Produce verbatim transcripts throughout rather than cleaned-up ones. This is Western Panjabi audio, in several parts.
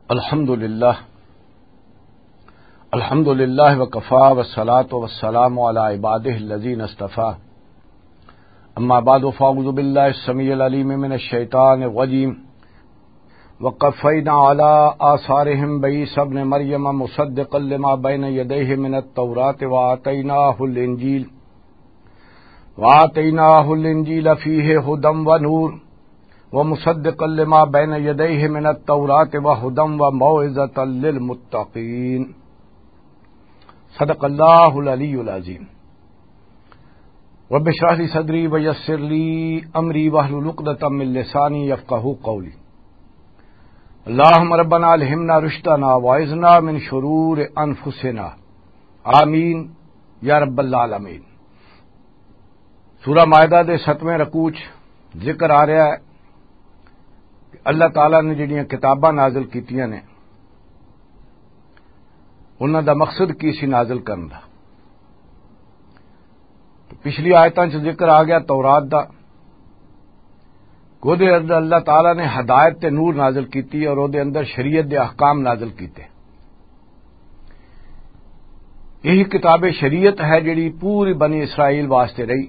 الحمد لله. الحمد لله وكفى والصلاة والسلام على عباده الذين اصطفى. أما بعد، فأعوذ بالله السميع العليم من الشيطان الرجيم. وقفينا على آثارهم بعيسى ابن مريم مصدقا لما بين يديه من التوراة وآتيناه الإنجيل وآتيناه الإنجيل فيه هدى ونور ومصدقا لما بين يديه من التوراة وهدى وموعظة للمتقين. صدق الله العلي العظيم. رب اشرح لي صدري ويسر لي أمري واحلل عقدة من لساني يفقهوا قولي. اللهم ربنا ألهمنا رشدنا وأعذنا من شرور أنفسنا. آمین یا رب العالمین۔ سورہ مائدہ دے ستویں رکوع چ ذکر آ رہا ہے کہ اللہ تعالیٰ نے جڑیاں کتاباں نازل کیتیاں نے، انہاں دا مقصد کی سی نازل کرن دا؟ تو پچھلی آیتاں چ ذکر آ گیا تورات دا، کہ اودے اندر اللہ تعالیٰ نے ہدایت تے نور نازل کیتی اور اودے اندر شریعت دے احکام نازل کیتے۔ یہی کتاب شریعت ہے جڑی پوری بنی اسرائیل واسطے رہی،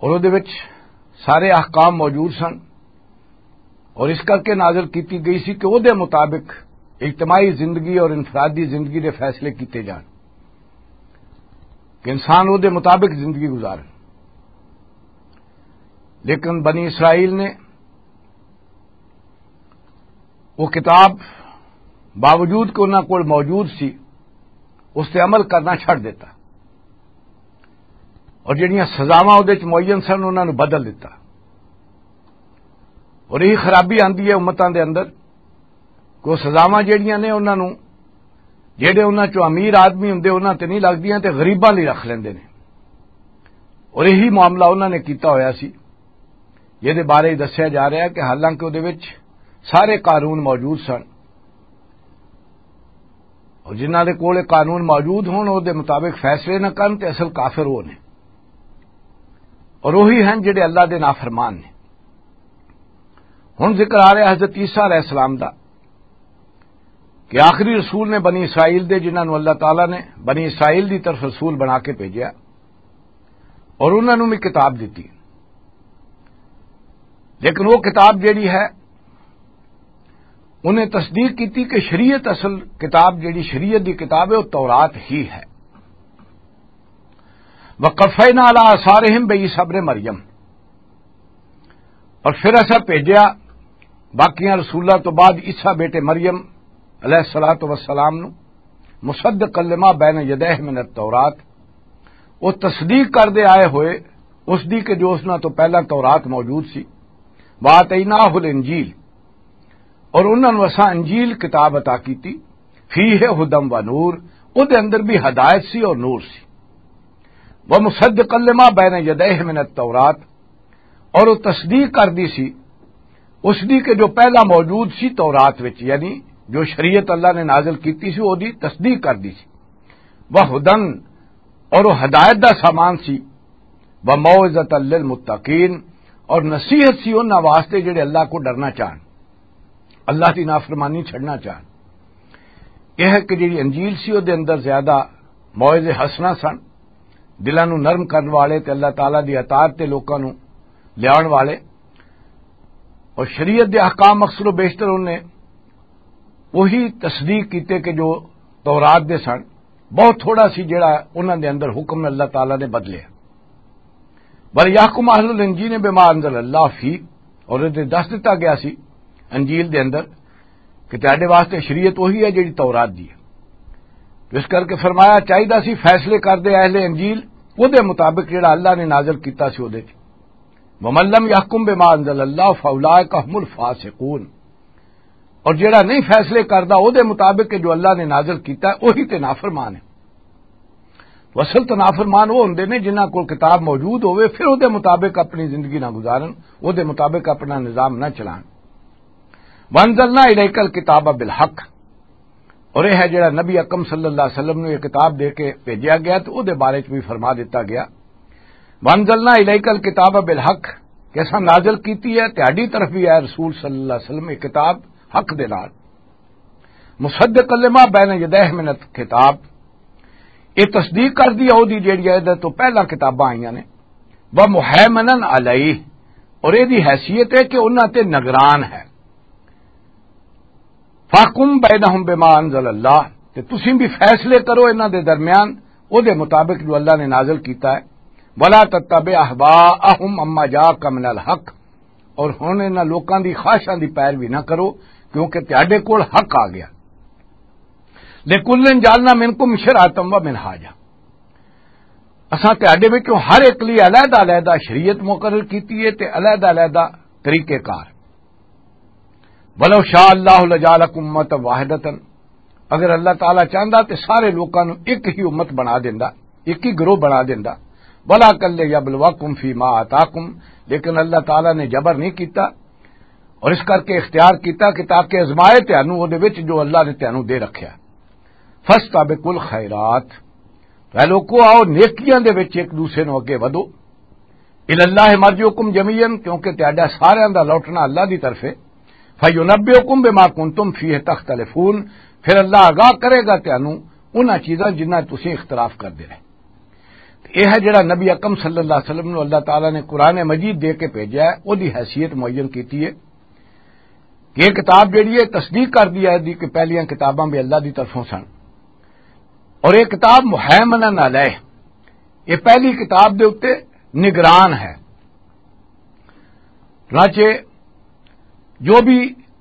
اور اودے وچ سارے احکام موجود سن، اور اس کر کے نازل کیتی گئی سی کہ اودے مطابق اجتماعی زندگی اور انفرادی زندگی دے فیصلے کیتے جان، کہ انسان اودے مطابق زندگی گزارن۔ لیکن بنی اسرائیل نے وہ کتاب، باوجود کہ انہاں کول موجود سی، اس تے عمل کرنا چھڈ دیتا، اور جڑیاں سزاواں اودے وچ معین سن، انہاں نوں بدل دیتا۔ اور یہی خرابی آندی ہے امتاں دے اندر، کہ وہ سزاواں جڑیاں نے انہاں نوں، جڑے انہاں چوں امیر آدمی ہوندے، انہاں تے نہیں لگدیاں تے غریباں لئی رکھ لیندے نے۔ اور یہی معاملہ انہاں نے کیتا ہویا سی، جہدے بارے دسیا جا رہا ہے کہ حالانکہ اودے وچ سارے قانون موجود سن، اور جنہاں دے کول قانون موجود ہون، اودے مطابق فیصلے نہ کرن تے اصل کافر وہ نے، اور وہی ہیں جڑے اللہ دے نافرمان نے۔ ہن ذکر آ رہا حضرت عیسیٰ علیہ السلام دا، کہ آخری رسول نے بنی اسرائیل دے، جنہاں نوں اللہ تعالیٰ نے بنی اسرائیل دی طرف رسول بنا کے بھیجیا، اور انہاں نوں بھی کتاب دتی۔ لیکن وہ کتاب جیڑی ہے، انہیں تصدیق کیتی کہ شریعت، اصل کتاب جیڑی شریعت دی کتاب ہے، وہ تورات ہی ہے۔ وقفینا علی آثارہم بعیسی ابن مریم، اور پھر اسا بھیجیا باقیاں رسولاں تو بعد عیسیٰ بیٹے مریم علیہ الصلوۃ والسلام نو، مصدقا لما بین یدیہ من التورات، وہ تصدیق کردے آئے ہوئے اس دی کہ جو اس نال تو پہلا تورات موجود سی۔ وآتیناہ الانجیل، اور انہاں نوں اساں انجیل کتاب عطا کیتی، فیہ ہدی و نور، او دے اندر بھی ہدایت سی اور نور سی۔ ومصدقا لما بین یدیہ من التورات، اور وہ تصدیق کردی سی اس دی کہ جو پہلا موجود سی تورات وچ، یعنی جو شریعت اللہ نے نازل کیتی سی، وہ دی تصدیق کردی سی۔ وہدن، اور وہ ہدایت دا سامان سی۔ وموعظۃ للمتقین، اور نصیحت سی انہاں واسطے جڑے اللہ کو ڈرنا چاہن، اللہ دی نافرمانی چھڑنا چاہن۔ یہ ہے کہ جڑی انجیل سی، وہ دے اندر زیادہ موعظے حسنہ سن، دلاں نوں نرم کرن والے تے اللہ تعالیٰ دی اطاعت تے لوکاں نوں لیاون والے۔ اور شریعت دے احکام اکثر و بیشتر انہیں وہی تصدیق کیتے کہ جو تورات دے سن۔ بہت تھوڑا سی جڑا انہاں دے اندر حکم اللہ تعالیٰ نے بدلے۔ بل یحکم اہل الانجیل بما انزل اللہ فی، اور یہ دس دتا گیا سی انجیل دے اندر کہ تہاڈے واسطے شریعت وہی ہے جڑی تورات دی ہے۔ تو اس کر کے فرمایا چاہیدا سی فیصلے کردے اہل انجیل وہ دے مطابق جڑا اللہ نے نازل کیتا سی وہ دے۔ ومن لم یحکم بما انزل اللہ فاولئک هم الفاسقون، اور جڑا نہیں فیصلے کردا او دے مطابق کہ جو اللہ نے نازل کیتا ہے، وہی تے نافرمان ہے۔ تو اصل تو نافرمان وہ ہوندے نے جنہاں کول کتاب موجود ہوئے، پھر او دے مطابق اپنی زندگی نہ گزارن، او دے مطابق اپنا نظام نہ چلان۔ وانزلنا الیک الکتاب بالحق، اور یہ ہے جڑا نبی اکرم صلی اللہ علیہ وسلم نوں یہ کتاب دے کے بھیجیا گیا، تو او دے بارے چ بھی فرما دیتا گیا، وانزلنا الیک الکتاب بالحق، ایسا نازل کیتی ہے تہاڈی طرف بھی، اے رسول صلی اللہ علیہ وسلم، یہ کتاب حق دے نال، مصدق لما بین یدیہ من الکتاب، یہ تصدیق کر دی ہے اودی جیڑی ہے ادھر تو پہلا کتاباں آئیاں نے، و مہیمنن علیہ، اور یہ دی حیثیت ہے کہ انہاں تے نگران ہے۔ فاحکم بینہم بما انزل اللہ، تے تسی بھی فیصلے کرو انہاں دے درمیان او دے مطابق جو اللہ نے نازل کیتا ہے۔ ولا تتبع اہواءہم عما جاءک من الحق، اور ہن انہاں لوکاں دی خواہشاں دی پیروی نہ کرو، کیونکہ تہاڈے کول حق آ گیا۔ لکل جعلنا منکم شرعۃ و منہاجا، اساں تہاڈے وچوں ہر ایک لئی علیحدہ علیحدہ شریعت مقرر کیتی ہے تے علیحدہ علیحدہ طریقہ کار۔ ولو شاء اللہ لجعلکم امۃ واحدۃ، اگر اللہ تعالیٰ چاہندا تے سارے لوکاں نوں ایک ہی امت بنا دیندا، ایک ہی گروہ بنا دیندا۔ ولاکن لیبلوکم فیما آتاکم، لیکن اللہ تعالیٰ نے جبر نہیں کیتا اور اس کر کے اختیار کیتا کہ تاکہ ازمائے تینوں او دے وچ جو اللہ نے تینوں دے رکھیا۔ فاستبقوا الخیرات، اے لوکو، آؤ نیکیاں دے وچ ایک دوسرے نوں اگے ودھو۔ الی اللہ مرجعکم جمیعا، کیونکہ تہاڈا ساریاں دا لوٹنا اللہ دی طرف ہے۔ فینبئکم بما کنتم فیہ تختلفون، پھر اللہ آگاہ کرے گا تانوں انہاں چیزاں جنہاں تسی اختلاف کردے رہے۔ تے یہ ہے جڑا نبی اکرم صلی اللہ علیہ وسلم نوں اللہ تعالیٰ نے قرآن مجید دے کے بھیجا ہے، او دی حیثیت معین کیتی ہے کہ یہ کتاب جڑی ہے تصدیق کر دی ہے دی کہ پہلیاں کتاباں بھی اللہ دی طرفوں سن، اور یہ کتاب مہیمنن علیہ، یہ پہلی کتاب دے اُتے نگران ہے۔ چنانچہ جو بھی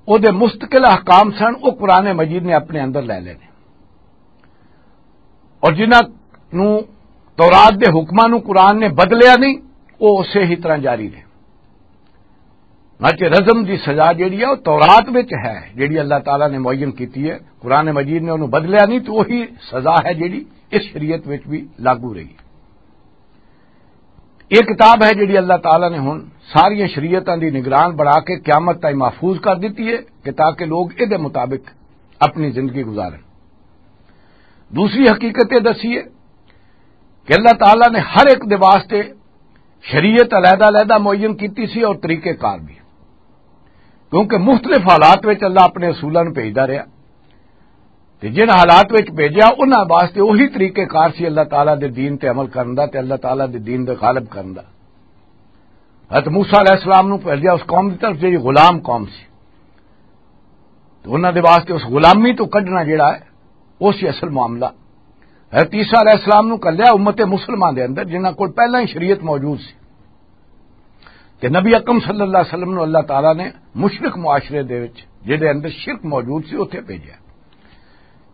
او دے مستقل احکام سن، او قرآن مجید نے اپنے اندر لے لینے، اور جنہاں نوں تورات دے حکماں نوں قرآن نے بدلیا نہیں، او اسے ہی طرح جاری رہے۔ چنانچہ رجم دی سزا جیڑی ہے، او تورات وچ ہے، جیڑی اللہ تعالیٰ نے معین کیتی ہے۔ قرآن مجید نے انہوں بدلیا نہیں، تو وہی سزا ہے جیڑی اس شریعت وچ بھی لاگو رہی۔ یہ کتاب ہے جیڑی اللہ تعالیٰ نے ہن ساری شریعتاں دی نگران بنا کے قیامت تائیں محفوظ کر دیتی ہے کہ تاکہ لوگ ادے مطابق اپنی زندگی گزارن۔ دوسری حقیقت یہ دسی ہے کہ اللہ تعالیٰ نے ہر ایک دے واسطے شریعت علیحدہ علیحدہ معین کیتی سی اور طریقہ کار بھی، کیونکہ مختلف حالات وچ اللہ اپنے رسولاں نوں بھیجدا رہیا، تے جن حالات وچ بھیجیا، انہاں واسطے وہی طریقہ کار سی اللہ تعالیٰ دے دین تے عمل کرن دا تے اللہ تعالیٰ دے دین دے غالب کرن دا۔ حضرت موسیٰ علیہ السلام نوں بھیجیا اس قوم دی طرف جڑی غلام قوم سی، تو انہاں دے واسطے اس غلامی تو کڈنا جڑا ہے، وہ سی اصل معاملہ۔ حضرت عیسیٰ علیہ السلام نوں کلیا امت مسلمہ دے اندر، جنہاں کول پہلاں ہی شریعت موجود سی۔ تے نبی اکرم صلی اللہ علیہ وسلم نوں اللہ تعالیٰ نے مشرک معاشرے دے وچ، جہدے اندر شرک موجود سی، اتھے بھیجیا۔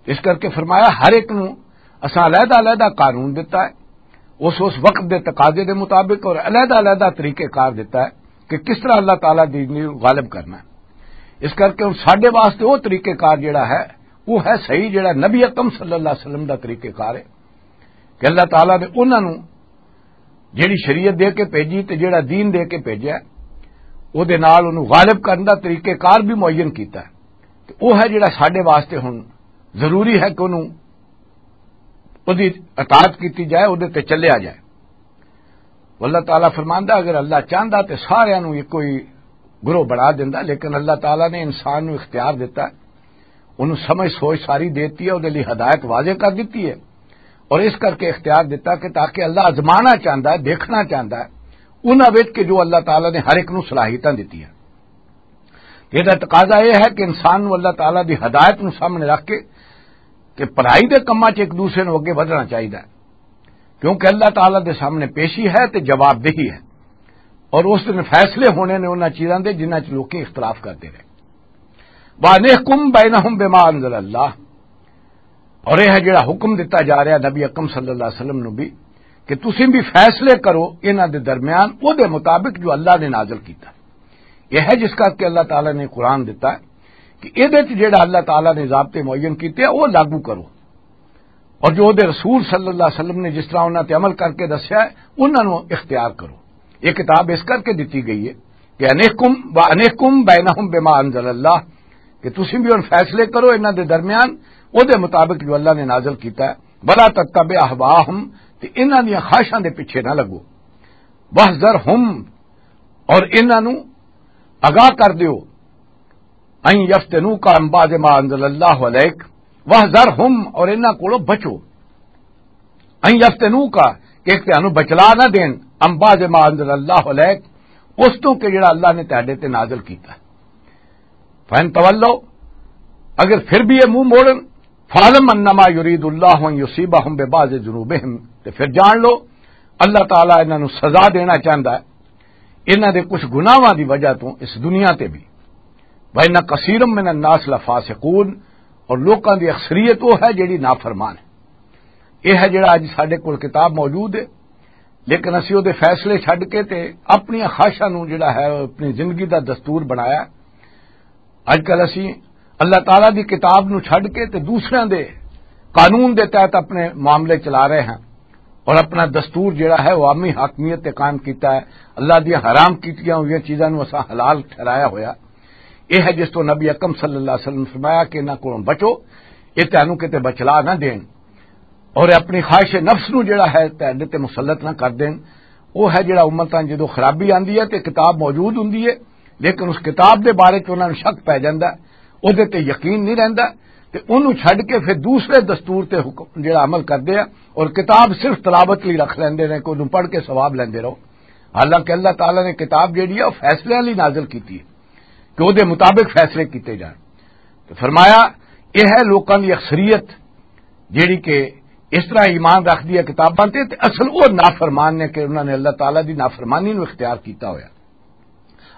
اس کر کے فرمایا، ہر ایک نوں اساں علیحدہ علیحدہ قانون دتا ہے، اس اس وقت دے تقاضے دے مطابق اور علیحدہ علیحدہ طریقہ کار دتا ہے کہ کس طرح اللہ تعالیٰ دی دین نوں غالب کرنا ہے۔ اس کر کے ہن ساڈے واسطے وہ طریقہ کار جڑا ہے، وہ ہے صحیح، جڑا نبی اکرم صلی اللہ علیہ وسلم دا طریقہ کار ہے کہ اللہ تعالیٰ نے انہاں نوں جیڑی شریعت دے کے بھیجی تے جیڑا دین دے کے بھیجیا، او دے نال اونوں غالب کرن دا طریقہ کار بھی معین کیتا ہے۔ تے او ہے جیڑا ساڈے واسطے ہن ضروری ہے کہ اونوں، اودی اطاعت کیتی جائے، اودے تے چلیا جائے۔ اللہ تعالیٰ فرماندا، اگر اللہ چاہندا تے ساریاں نوں ایک کوئی گروہ بنا دیندا، لیکن اللہ تعالیٰ نے انسان نوں اختیار دیتا ہے، انہوں سمجھ سوچ ساری دیتی ہے، اودے لئی ہدایت واضح کر دیتی ہے، اور اس کر کے اختیار دیتا کہ تاکہ اللہ آزمانا چاہندا ہے، دیکھنا چاہندا ہے انہاں وچ کہ جو اللہ تعالیٰ نے ہر ایک نوں صلاحیتاں دتی ہیں۔ یہ تقاضا یہ ہے کہ انسان نوں اللہ تعالیٰ دی ہدایت نوں سامنے رکھ کے کہ بھلائی دے کماں 'چ ایک دوسرے نوں اگے ودھنا چاہیدا ہے، کیونکہ اللہ تعالیٰ دے سامنے پیشی ہے تے جواب دہی ہے، اور اس دن فیصلے ہونے نے انہاں چیزاں دے جنہاں 'چ لوکی اختلاف کرتے رہے۔ وَأَنِحْكُمْ بَيْنَهُمْ بِمَا أَنزَلَ اللَّهُ، اور یہ ہے جڑا حکم دتا جا رہا نبی اکرم صلی اللہ علیہ وسلم نو بھی کہ تسی بھی فیصلے کرو انہاں دے درمیان او دے مطابق جو اللہ نے نازل کیتا۔ یہ ہے جس کر کے اللہ تعالیٰ نے قرآن دتا ہے کہ یہ جڑا اللہ تعالیٰ نے ضابطے معین کیتے ہیں، وہ لاگو کرو۔ اور جو دے رسول صلی اللہ علیہ وسلم نے جس طرح انہاں تے عمل کر کے دسیا ہے، انہاں نوں اختیار کرو۔ یہ کتاب اس کر کے دتی گئی ہے کہ انحکم و انحکم بینہم بما انزل اللہ، کہ تسی بھی ان فیصلے کرو انہاں دے درمیان او دے مطابق جو اللہ نے نازل کیتا ہے۔ ولا تتبع اہواہم، تے انہاں دیاں خواہشاں دے پیچھے نہ لگو۔ واحذرہم، اور انہاں نوں آگاہ کر دیو، ان یفتنوک عن بعض ما انزل اللہ علیک، واحذرہم، اور انہاں کولوں بچو، ان یفتنوک، کہ تانوں بچلا نہ دین، عن بعض ما انزل اللہ علیک، اس تو کہ جڑا اللہ نے تہاڈے تے نازل کیتا۔ فَإِن تَوَلَّوْا، اگر پھر بھی یہ منہ موڑن، فَاعْلَمْ أَنَّمَا يُرِيدُ اللَّهُ أَن يُصِيبَهُمْ بِبَعْضِ ذُنُوبِهِمْ، تے پھر جان لو، اللہ تعالیٰ انہاں نوں سزا دینا چاہندا ہے انہاں دے کچھ گناہاں دی وجہ تو اس دنیا تے بھی۔ وَإِنَّ كَثِيرًا مِنَ النَّاسِ لَفَاسِقُونَ، اور لوکاں دی اکثریت وہ ہے جڑی نافرمان ہے۔ یہ ہے جڑا اج ساڈے کول کتاب موجود ہے، لیکن اسی او دے فیصلے چھڈ کے تے اپنی خواہشاں نوں جڑا ہے اپنی زندگی دا دستور بنایا۔ اج کل اسی اللہ تعالیٰ دی کتاب نوں چھڈ کے تے دوسریاں دے قانون دے تحت اپنے معاملے چلا رہے ہیں اور اپنا دستور جڑا ہے عوامی حاکمیت تے قائم کیتا ہے، اللہ دی حرام کیتیاں ہوئیاں چیزاں نوں اساں حلال ٹھہرایا ہویا۔ یہ ہے جس تو نبی اکرم صلی اللہ علیہ وسلم فرمایا کہ انہاں کولوں بچو، یہ تانوں کتے بچلا نہ دین اور اپنی خواہش نفس نوں جڑا ہے تہاڈے تے مسلط نہ کر دین۔ وہ ہے جڑا امتاں جدوں خرابی آندی ہے تے کتاب موجود ہوندی ہے، لیکن اس کتاب دے بارے چ انہاں نوں شک پے جاندا ہے، او دے تے یقین نہیں رہندا، تے اونوں چھڈ کے پھر دوسرے دستور تے حکم جڑا عمل کردے ہیں اور کتاب صرف تلاوت لئی رکھ لیندے نے کہ اونوں پڑھ کے ثواب لیندے رہو۔ حالانکہ اللہ تعالیٰ نے کتاب جڑی ہے وہ فیصلے والی نازل کیتی ہے کہ وہ دے مطابق فیصلے کیتے جان۔ تو فرمایا، یہ ہے لوکاں دی اکثریت جڑی کہ اس طرح ایمان رکھدی ہے کتاباں تے، تے اصل وہ نافرمان نے کہ انہاں نے اللہ تعالیٰ دی نافرمانی نو اختیار کیتا ہویا۔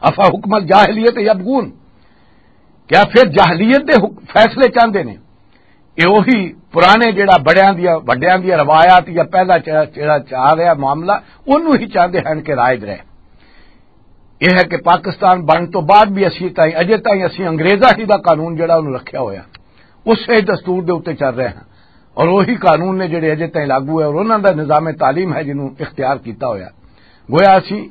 افا حکم الجاہلیت یبغون، کیا پھر جاہلیت دے حک-، فیصلے چاہندے نے؟ یہ وہی پرانے جڑا بڑیاں دیاں، وڈیاں دیاں روایات یا پہلا چ-، جڑا چاہ رہا معاملہ، انہوں ہی چاہندے ہیں کہ رائج رہے۔ یہ ہے کہ پاکستان بن تو بعد بھی اسی تائیں، اجے تائیں اسی انگریزاں ہی دا قانون جڑا انہوں رکھیا ہویا، اس سے دستور دے اُتے چل رہے ہیں اور وہی قانون نے جڑے اجے تائیں لاگو ہے اور انہاں دا نظام تعلیم ہے جنہوں اختیار کیتا ہویا۔ گویا اسی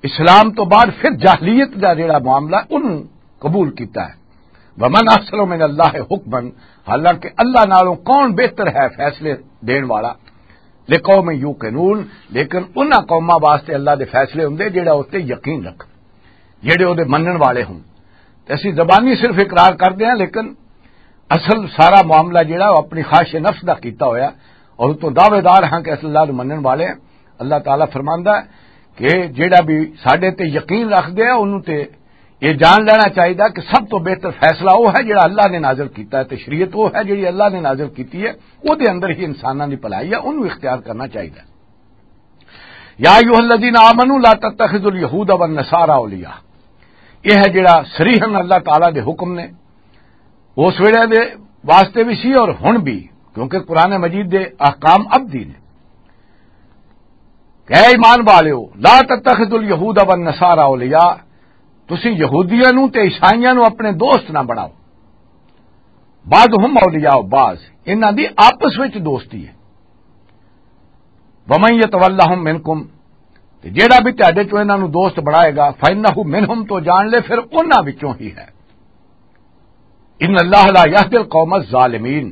اسلام تو بعد پھر جاہلیت دا جڑا معاملہ انہوں قبول کیتا ہے۔ ومن احسن من اللہ حکما، حالانکہ اللہ نالوں کون بہتر ہے فیصلے دین والا؟ لقوم یوقنون، لیکن انہاں قوماں واسطے اللہ دے فیصلے ہوندے جڑا اس تے یقین رکھ، جڑے او دے منن والے ہوں۔ تے اسی زبانی صرف اقرار کردے ہیں، لیکن اصل سارا معاملہ جڑا وہ اپنی خواہش نفس دا کیتا ہویا اور اتوں دعوے دار ہاں کہ اصل اللہ نو منن والے ہیں۔ اللہ تعالیٰ فرماندا ہے کہ جڑا بھی ساڈے تے یقین رکھدے ہیں، انہوں تے یہ جان لینا چاہیے کہ سب تو بہتر فیصلہ وہ ہے جڑا اللہ نے نازل کیتا ہے، تے شریعت وہ ہے جڑی اللہ نے نازل کیتی ہے، وہ دے اندر ہی انساناں دی بھلائی ہے، انہوں اختیار کرنا چاہیے۔ یا ایھا الذین آمنوا لا تتخذوا الیہود والنصارى اولیاء۔ یہ ہے جڑا صریحاً اللہ تعالیٰ دے حکم نے، اس ویلے دے واسطے بھی سی اور ہن بھی، کیونکہ قرآن مجید دے احکام ابدی نے۔ کہ اے ایمان والیو، لا تتخذوا الیہود والنصارى اولیاء، تسی یہودیاں نو تے عیسائیاں نو اپنے دوست نہ بناؤ۔ بعضهم اولیاء بعض، انہاں دی آپس وچ دوستی ہے۔ ومن یتولہم منکم، تے جیڑا بھی تہاڈے چوں انہاں نو دوست بنائے گا، فانہ منہم، تو جان لے پھر انہاں وچوں ہی ہے۔ ان اللہ لا یہدی القوم الظالمین،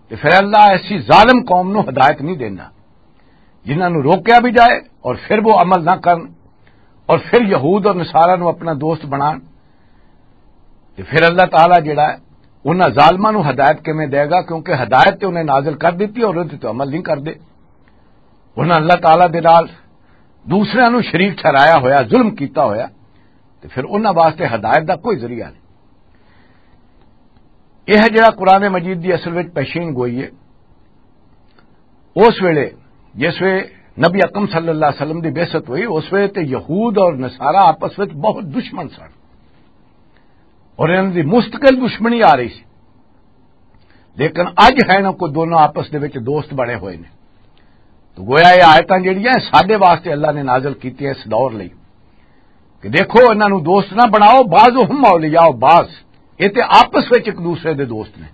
تے پھر اللہ ایسی ظالم قوم نو ہدایت نہیں دینا جنہاں نو روکیا بھی جائے اور پھر وہ عمل نہ کرن اور پھر یہود اور نصارہ نو اپنا دوست بنان۔ تے پھر اللہ تعالیٰ جڑا ہے، انہاں ظالماں نو ہدایت کیویں دے گا؟ کیونکہ ہدایت تے انہیں نازل کر دتی اور انہیں تے عمل نہیں کردے۔ انہاں اللہ تعالیٰ دے نال دوسرے نو شریک ٹھہرایا ہویا، ظلم کیتا ہویا، تے پھر انہاں واسطے ہدایت دا کوئی ذریعہ نہیں۔ یہ ہے جڑا قرآن مجید دی اصل وچ پیشین گوئی ہے۔ اس ویلے، جس ویلے نبی اکرم صلی اللہ علیہ وسلم دی بعثت ہوئی، اس ویلے تے یہود اور نصارہ آپس وچ بہت دشمن سن اور انہاں دی مستقل دشمنی آ رہی سی، لیکن اج ہے نا، کوئی دونوں آپس دے وچ دوست بنے ہوئے نے۔ تو گویا یہ آیتاں جڑیاں ساڈے واسطے اللہ نے نازل کیتیاں اس دور لئی کہ دیکھو، انہاں نو دوست نہ بناؤ، بعضهم اولیاء بعض، یہ تے آپس وچ ایک دوسرے دے دوست نے۔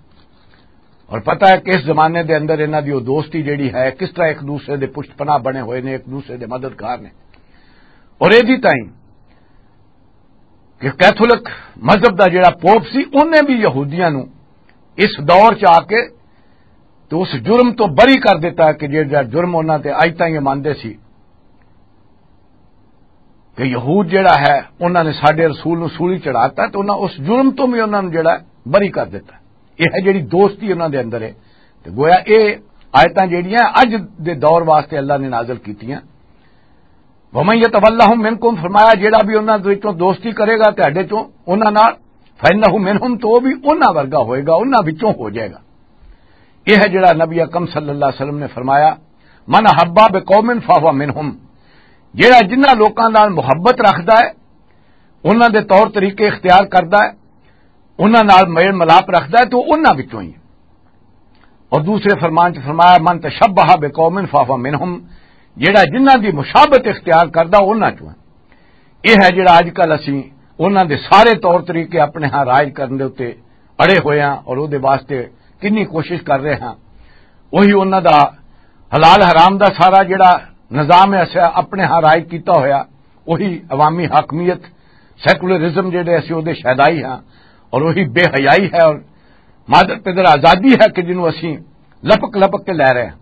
اور پتہ ہے کہ اس زمانے دے اندر انہاں دی وہ دوستی جڑی ہے، کس طرح ایک دوسرے دے پشت پناہ بنے ہوئے نے، ایک دوسرے دے مددگار نے۔ اور ایدی تائیں کہ کیتھولک مذہب دا جڑا پوپ سی، انہیں بھی یہودیاں نو اس دور چ آ کے تو اس جرم تو بری کر دیتا کہ جڑا جرم انہاں تے اج تائیں یہ مانتے سی۔ کہ یہود جڑا ہے، انہاں نے ساڈے رسول نوں سولی چڑھاتا، تے انہاں اس جرم تو بھی انہاں نوں جڑا ہے، بری کر دیتا۔ یہ ہے جڑی دوستی انہاں دے اندر ہے۔ تے گویا یہ آیتاں جڑیاں اج دے دور واسطے اللہ نے نازل کیتیاں۔ "ومن یتولہم منکم"، فرمایا، جڑا بھی انہاں دے وچوں دوستی کرے گا تہاڈے چوں، انہاں نال، "فانہ منہم"، تو وہ بھی انہاں ورگا ہوئے گا، انہاں وچوں ہو جائے گا۔ یہ ہے جڑا نبی اکرم صلی اللہ علیہ وسلم نے فرمایا، "من احبا بقوم فہو منہم"، جڑا جنہاں لوکاں نال محبت رکھدا ہے، انہاں دے طور طریقے اختیار کردا ہے، انہاں نال میل ملاپ رکھدا ہے، تو انہاں وچوں ہی ہے۔ اور دوسرے فرمان چ فرمایا، "من تشبہ بقوم فہو منہم"، جڑا جنہاں دی مشابت اختیار کردا، انہاں چوں ہے۔ یہ ہے جڑا اج کل اسی انہاں دے سارے طور طریقے اپنے ہاں رائج کرن دے اتے اڑے ہوئے ہاں اور او دے واسطے کنی کوشش کر رہے ہاں۔ وہی انہاں دا حلال حرام دا سارا جڑا نظام ہے، اسے اپنے ہاں رائج کیتا ہویا، وہی عوامی حاکمیت، سیکولرزم جڑے اسی او دے شیدائی ہاں، اور وہی بے حیائی ہے اور مادر پدر آزادی ہے کہ جنوں اسی لپک لپک کے لے رہے ہیں۔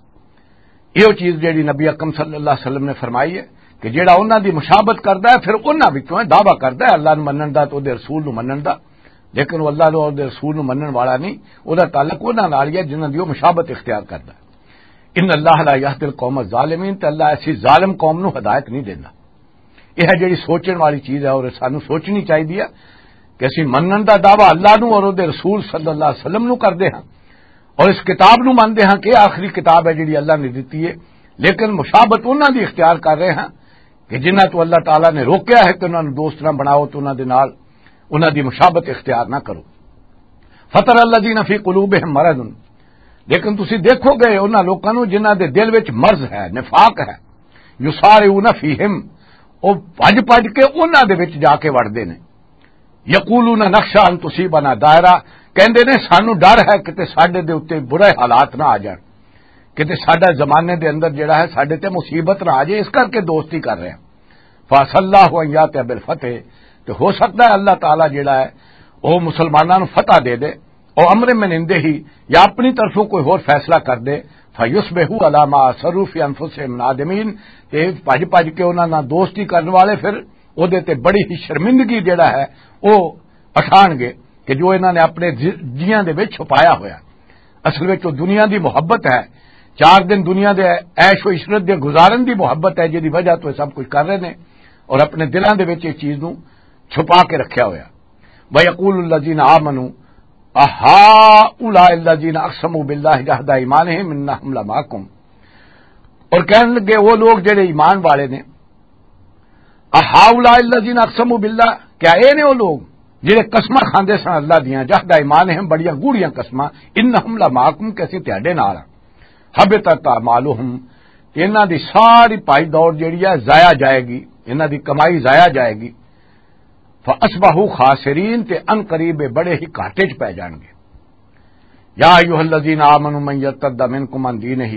یہ چیز جڑی نبی اکرم صلی اللہ علیہ وسلم نے فرمائی ہے کہ جڑا انہاں دی مشابت کردا ہے، پھر انہاں وچوں ہے، دعویٰ کردا ہے اللہ نوں منن دا تے اودے رسول نوں منن دا، لیکن وہ اللہ نوں اودے رسول نوں منن والا نہیں، اودے تعلق انہاں نال ہی ہے جنہاں دی وہ مشابت اختیار کردا ہے۔ ان اللہ لا یہدی القوم الظالمین، تے اللہ ایسی ظالم قوم نوں ہدایت نہیں دیندا۔ یہ ہے جڑی سوچن والی چیز ہے اور سانوں سوچنی چاہیے کہ اسی منن دا دعویٰ اللہ نوں اور اودے رسول صلی اللہ علیہ وسلم نوں کردے ہاں اور اس کتاب نوں مندے ہاں کہ آخری کتاب ہے جڑی اللہ نے دتی ہے، لیکن مشابت انہاں دی اختیار کر رہے ہاں کہ جنہاں تو اللہ تعالیٰ نے روکیا ہے کہ انہاں نوں دوست نہ بناؤ، تو انہاں دے نال انہاں دی مشابت اختیار نہ کرو۔ فتر الذین فی قلوبہم مرض، لیکن تسی دیکھو گے انہاں لوکاں نوں جنہاں دے دل وچ مرض ہے، نفاق ہے، یسارعون فیہم، او بھج بھج کے انہاں دے وچ جا کے وڑدے نے۔ یقولون نخشی ان تصیبنا دائرہ، کہندے نے سانو ڈر ہے کتے ساڈے دے اُتے برے حالات نہ آ جان، کتے ساڈا زمانے دے اندر جڑا ہے ساڈے تے مصیبت نہ آ جائے، اس کر کے دوستی کر رہے ہیں۔ فعسى الله ان ياتي بالفتح، تے ہو سکتا ہے اللہ تعالیٰ جڑا ہے وہ مسلمانوں نوں فتح دے دے، او امر من عنده ہی، یا اپنی طرفوں کوئی ہور فیصلہ کر دے، فیصبحوا علی ما اسروا فی انفسہم نادمین، تے بھج بھج کے انہاں نال دوستی کرن والے پھر اودے تے بڑی ہی شرمندگی جڑا ہے وہ اٹھان گے کہ جو انہاں نے اپنے جی-، جیاں دے وچ چھپایا ہویا۔ اصل وچ وہ دنیا دی محبت ہے، چار دن دنیا دے عیش و عشرت دے گزارن دی محبت ہے، جدی وجہ تو یہ سب کچھ کر رہے نے اور اپنے دلاں دے وچ اس چیز نوں چھپا کے رکھیا ہویا۔ وَيَقُولُ الَّذِينَ آمَنُوا أَهَٰؤُلَاءِ الَّذِينَ أَقْسَمُوا بِاللَّهِ جَهْدَ أَيْمَانِهِمْ إِنَّهُمْ لَمَعَكُمْ، اور کہنے لگے وہ لوگ جڑے ایمان والے نے، أَهَٰؤُلَاءِ الَّذِينَ أَقْسَمُوا بِاللَّهِ، کیا اے نے وہ لوگ جڑے قسماں کھاندے سن اللہ دیاں، جہد ایمانہم، بڑیاں گوڑیاں قسماں، إِنَّهُمْ لَمَعَكُمْ، کہ اسی تہاڈے نال ہاں، حبطت أعمالهم، انہاں دی ساری پائی دوڑ جڑی ہے ضائع جائے گی، انہاں دی کمائی ضائع جائے گی۔ فَأَصْبَحُوا خَاسِرِينَ، تے ان قریب بڑے ہی گھاٹے چ پے جان گے۔ يَا أَيُّهَا الَّذِينَ آمَنُوا مَن يَرْتَدَّ مِنكُمْ عَن دِينِهِ،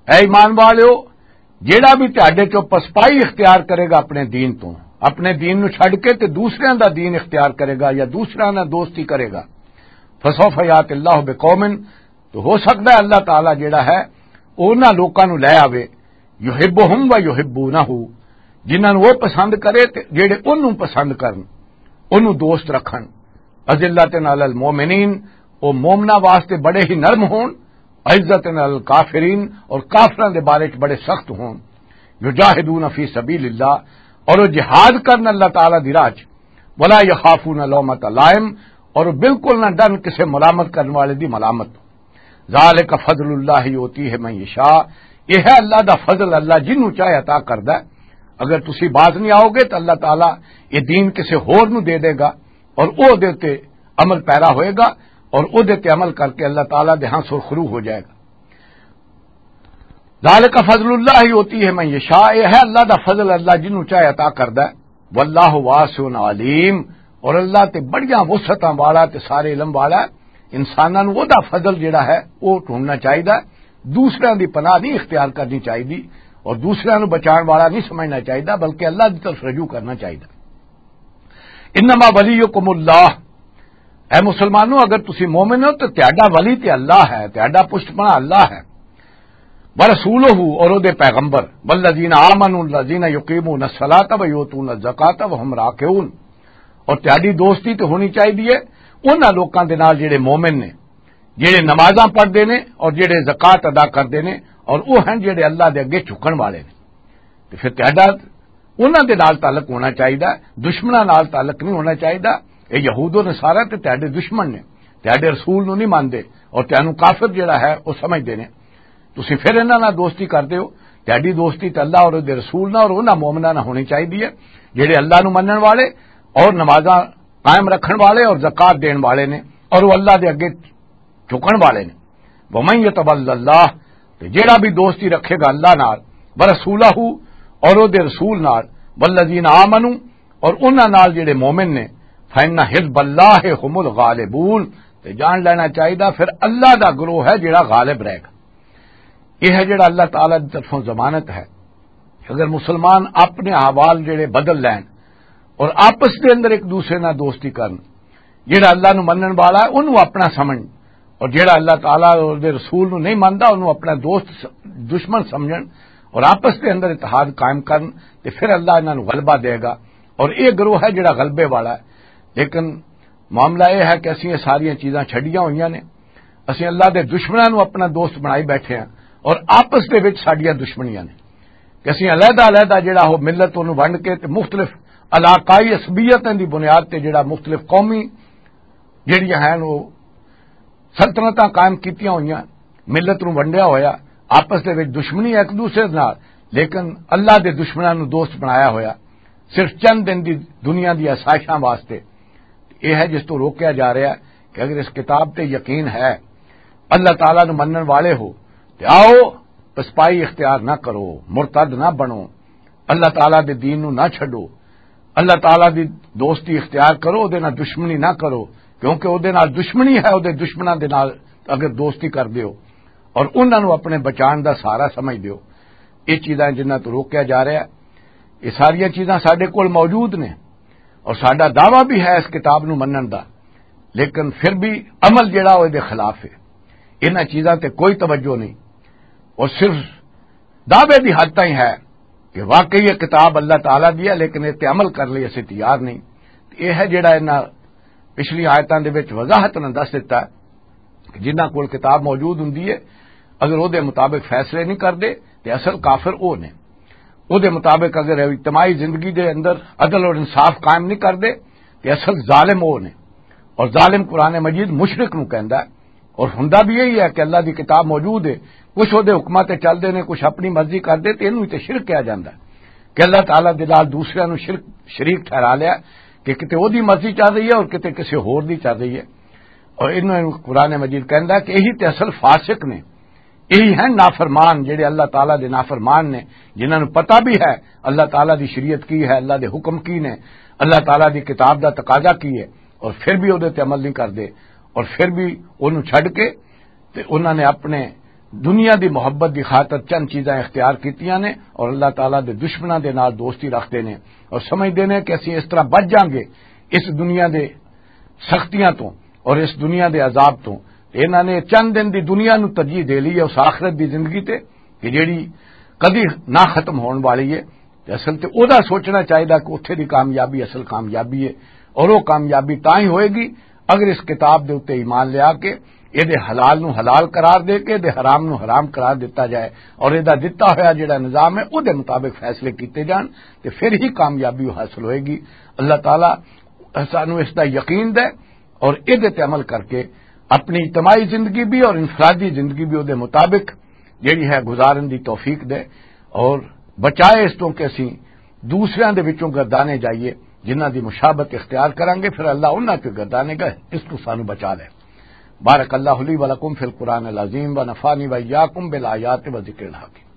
اے ایمان والیو، جیڑا بھی تہاڈے چوں پسپائی اختیار کرے گا اپنے دین تو، اپنے دین نو چھڈ کے تے دوسریاں دا دین اختیار کرے گا یا دوسریاں نال دوستی کرے گا، فسوف یات اللہ بقوم، تو ہو سکتا ہے اللہ تعالیٰ جڑا ہے وہ انہاں لوکاں نو لے آوے، یحبہم و یحبونہ، جنہاں نو وہ پسند کرے تے جڑے انہوں پسند کرن، انہوں دوست رکھن۔ اذلۃ علی المؤمنین، وہ مومنہ واسطے بڑے ہی نرم ہون، عزت علی الکافرین، اور کافراں دے بارے چ بڑے سخت ہون۔ یجاہدون فی سبیل اللہ، اور وہ جہاد کرن اللہ تعالیٰ دی راہ چ۔ ولا یخافون لومۃ لائم، اور وہ بالکل نہ ڈرن کسے ملامت کرن والے دی ملامت۔ ذالک فضل اللہ یؤتیہ من یشاء، یہ ہے اللہ دا فضل، اللہ جنوں چاہے عطا کردا ہے۔ اگر تسی باز نہیں آؤ گے تو اللہ تعالیٰ یہ دین کسے ہور نوں دے دے گا اور او دے تے عمل پیرا ہوئے گا اور او دے تے عمل کر کے اللہ تعالیٰ دے ہاں سرخرو ہو جائے گا۔ ذالک فضل اللہ یؤتیہ من یشاء، یہ ہے اللہ دا فضل، اللہ جنوں چاہے عطا کردا ہے۔ واللہ واسع علیم، اور اللہ تے بڑیاں وسعتاں والا تے سارے علم والا ہے۔ انساناں نوں او دا فضل جڑا ہے او ڈھونڈنا چاہیدا ہے، دوسریاں دی پناہ نہیں اختیار کرنی چاہیدی اور دوسریاں نوں بچان والا نہیں سمجھنا چاہیدا، بلکہ اللہ دی طرف رجوع کرنا چاہیدا۔ انما ولیکم اللہ، اے مسلمانوں، اگر تسی مومن ہو تو تہاڈا ولی تے اللہ ہے، تہاڈا پشت پناہ اللہ ہے۔ ورسولہ، اور او دے پیغمبر، والذین آمنوا الذین یقیمون الصلاۃ و یؤتون الزکاۃ وهم راکعون، اور تہاڈی دوستی تے ہونی چاہیے انہاں لوکاں دے نال جڑے مومن نے، جڑے نمازاں پڑھدے نے اور جڑے زکوٰۃ ادا کردے نے، اور او ہن جڑے اللہ دے اگے جھکن والے نے۔ تے پھر تہاڈا انہاں دے نال تعلق ہونا چاہیدا، دشمناں نال تعلق نہیں ہونا چاہیدا۔ اے یہود و نصارہ تے تہاڈے دشمن نے، تہاڈے رسول نو نہیں مانتے اور تہانوں کافر جڑا ہے او سمجھدے نے۔ تسی پھر انہاں نال دوستی کردے ہو؟ تہاڈی دوستی تے اللہ اور دے رسول نال اور انہاں مومناں نال ہونی چاہیدی ہے جڑے اللہ نو منن والے اور نمازاں قائم رکھن والے اور زکوٰۃ دین والے نے، اور وہ اللہ دے اگے جھکن والے نے۔ ومن یتول اللہ، تے جیڑا بھی دوستی رکھے گا اللہ نال، ورسولہ، اور او دے رسول نال، والذین آمنوا، اور انہاں نال جڑے مومن نے، فإن حزب اللہ هم الغالبون، تے جان لینا چاہیدا پھر اللہ دا گروہ ہے جڑا غالب رہے گا۔ یہ ہے جڑا اللہ تعالیٰ دی طرفوں ضمانت ہے۔ اگر مسلمان اپنے احوال جڑے بدل لین اور آپس دے اندر ایک دوسرے نال دوستی کرن، جڑا اللہ نو منن والا ہے، اونوں اپنا سمجھن، اور جڑا اللہ تعالیٰ اور دے رسول نو نہیں مندا، اونوں اپنا دوست س-، دشمن سمجھن، اور آپس دے اندر اتحاد قائم کرن، تے پھر اللہ انہاں نو غلبہ دے گا۔ اور یہ گروہ ہے جڑا غلبے والا ہے۔ لیکن معاملہ یہ ہے کہ اسی یہ ساریاں چیزاں چھڈیاں ہوئیاں نے، اسی اللہ دے دشمناں نو اپنا دوست بنائی بیٹھے ہیں، اور آپس دے وچ ساڈیاں دشمنیاں نے کہ اسی علیحدہ علیحدہ جڑا ہو ملت نو ونڈ کے تے مختلف علاقائی عصبیتاں دی بنیاد تے جڑا مختلف قومی جڑیاں ہیں وہ سلطنتاں قائم کیتیاں ہوئیاں، ملت نوں ونڈیا ہویا، آپس دے وچ دشمنی ہے ایک دوسرے نال، لیکن اللہ دے دشمناں نوں دوست بنایا ہویا، صرف چند دن دی دنیا دی آسائشاں واسطے۔ یہ ہے جس تو روکیا جا رہا ہے کہ اگر اس کتاب تے یقین ہے، اللہ تعالیٰ نوں منن والے ہو، تے آؤ، پسپائی اختیار نہ کرو، مرتد نہ بنو، اللہ تعالیٰ دے دین نوں نہ چھڈو، اللہ تعالیٰ دی دوستی اختیار کرو، او دے نال دشمنی نہ کرو، کیونکہ او دے نال دشمنی ہے، او دے دشمناں دے نال اگر دوستی کر دیو اور انہاں نوں اپنے بچان دا سہارا سمجھ دیو۔ یہ چیزاں جنہاں تو روکیا جا رہا ہے، یہ ساریاں چیزاں ساڈے کول موجود نے اور ساڈا دعویٰ بھی ہے اس کتاب نوں منن دا، لیکن پھر بھی عمل جڑا او دے خلاف ہے۔ انہاں چیزاں تے کوئی توجہ نہیں، اور صرف دعوے دی حد تائیں ہے کہ واقعی یہ کتاب اللہ تعالیٰ دی ہے، لیکن یہ تے عمل کرن لئی اسی تیار نہیں۔ یہ ہے جڑا انہاں پچھلی آیتاں دے وچ وضاحت نال دس دتا کہ جنہاں کول کتاب موجود ہوندی ہے، اگر او دے مطابق فیصلے نہیں کردے تے اصل کافر او نے۔ او دے مطابق اگر اجتماعی زندگی دے اندر عدل اور انصاف قائم نہیں کردے تے اصل ظالم او نے۔ اور ظالم قرآن مجید مشرک نوں کہندا ہے۔ اور ہوندا بھی یہی ہے کہ اللہ دی کتاب موجود ہے، کچھ او دے حکماں تے چل دے نے، کچھ اپنی مرضی کر دے، تے اینوں تے شرک کہا جاندا ہے کہ اللہ تعالیٰ دے نال دوسریاں نوں شرک، شریک ٹھہرا لیا کہ کتے او دی مرضی چل رہی ہے اور کتے کسے ہور دی چل رہی ہے۔ اور انہوں نے قرآن مجید کہندا ہے کہ یہی تے اصل فاسق نے، یہی ہیں نافرمان، جڑے اللہ تعالیٰ دے نافرمان نے، جنہاں نوں پتہ بھی ہے اللہ تعالیٰ دی شریعت کی ہے، اللہ دے حکم کی نے، اللہ تعالیٰ دی کتاب دا تقاضا کی ہے، اور پھر بھی او دے تے عمل نہیں کردے، اور پھر بھی اونوں چھڈ کے تے انہاں نے اپنے دنیا دی محبت دی خاطر چند چیزاں اختیار کیتیاں نے، اور اللہ تعالیٰ دے دشمناں دے نال دوستی رکھدے نے، اور سمجھدے نے کہ اسی اس طرح بچ جاؤں گے اس دنیا دے سختیاں تو اور اس دنیا دے عذاب تو۔ تے انہاں نے چند دن دی دنیا نو ترجیح دے لی ہے اس آخرت دی زندگی تے، کہ جیڑی کدی نہ ختم ہون والی ہے۔ تے اصل تے او دا سوچنا چاہیدا کہ اتھے دی کامیابی اصل کامیابی ہے، اور او کامیابی تاں ہی ہوئے گی اگر اس کتاب دے اُتے ایمان لیا کے، اے دے حلال نو حلال قرار دے کے، اے دے حرام نو حرام قرار دتا جائے، اور اے دا دتا ہویا جڑا نظام ہے، او دے مطابق فیصلے کیتے جان، تے پھر ہی کامیابی حاصل ہوئے گی۔ اللہ تعالیٰ سانو اس دا یقین دے اور اے دے تے عمل کر کے اپنی اجتماعی زندگی بھی اور انفرادی زندگی بھی او دے مطابق جڑی ہے گزارن دی توفیق دے، اور بچائے اس تو کہ اسی دوسریاں دے وچوں گردانے جائیے، جنہاں دی مشابت اختیار کرانگے، پھر اللہ انہاں چوں گردانے گا، اس تو سانو بچا لے۔ بارک اللہ لی و لکم فی القرآن العظیم و نفعنی و ایاکم بالآیات و ذکر الحکیم۔